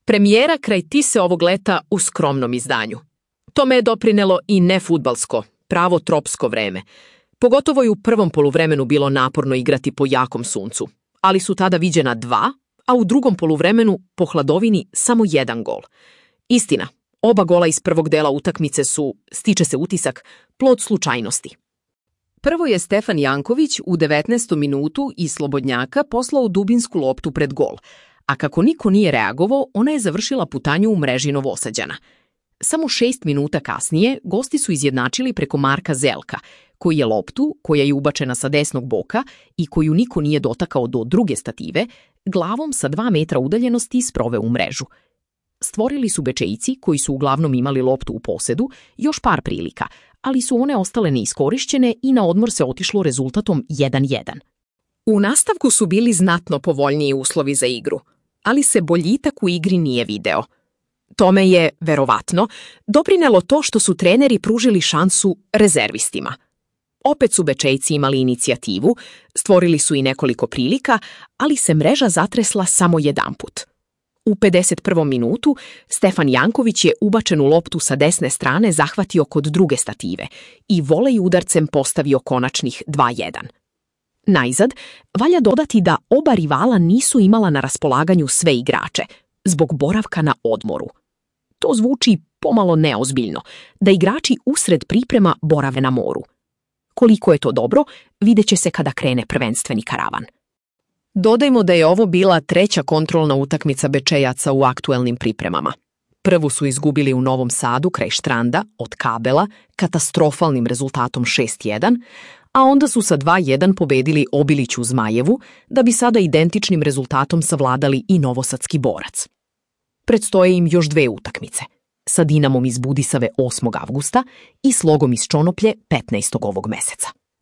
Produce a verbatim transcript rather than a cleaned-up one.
Premijera kraj Tise ovog leta u skromnom izdanju. Tome je doprinelo i nefudbalsko, pravo tropsko vreme. Pogotovo je u prvom poluvremenu bilo naporno igrati po jakom suncu, ali su tada viđena dva, a u drugom poluvremenu po hladovini samo jedan gol. Istina, oba gola iz prvog dela utakmice su, stiče se utisak, plod slučajnosti. Prvo je Stefan Janković u devetnaestom minutu iz slobodnjaka poslao dubinsku loptu pred gol, a kako niko nije reagovao, ona je završila putanju u mreži Novosađana. Samo šest minuta kasnije gosti su izjednačili preko Marka Zelka, koji je loptu, koja je ubačena sa desnog boka i koju niko nije dotakao do druge stative, glavom sa dva metra udaljenosti sproveo u mrežu. Stvorili su Bečejci, koji su uglavnom imali loptu u posedu, još par prilika, ali su one ostale neiskorišćene i na odmor se otišlo rezultatom jedan jedan. U nastavku su bili znatno povoljniji uslovi za igru, ali se boljitak u igri nije video. Tome je, verovatno, doprinelo to što su treneri pružili šansu rezervistima. Opet su Bečejci imali inicijativu, stvorili su i nekoliko prilika, ali se mreža zatresla samo jedanput. U pedeset prvom minutu Stefan Janković je ubačenu loptu sa desne strane zahvatio kod druge stative i volej udarcem postavio konačnih dva jedan. Najzad, valja dodati da oba rivala nisu imala na raspolaganju sve igrače, zbog boravka na odmoru. To zvuči pomalo neozbiljno, da igrači usred priprema borave na moru. Koliko je to dobro, vidjet će se kada krene prvenstveni karavan. Dodajmo da je ovo bila treća kontrolna utakmica Bečejaca u aktuelnim pripremama. Prvu su izgubili u Novom Sadu kraj Štranda od Kabela katastrofalnim rezultatom šest jedan, a onda su sa dva jedan pobedili Obilić u Zmajevu, da bi sada identičnim rezultatom savladali i novosadski Borac. Predstoje im još dve utakmice, sa Dinamom iz Budisave osmog avgusta i Slogom iz Čonoplje petnaestog ovog meseca.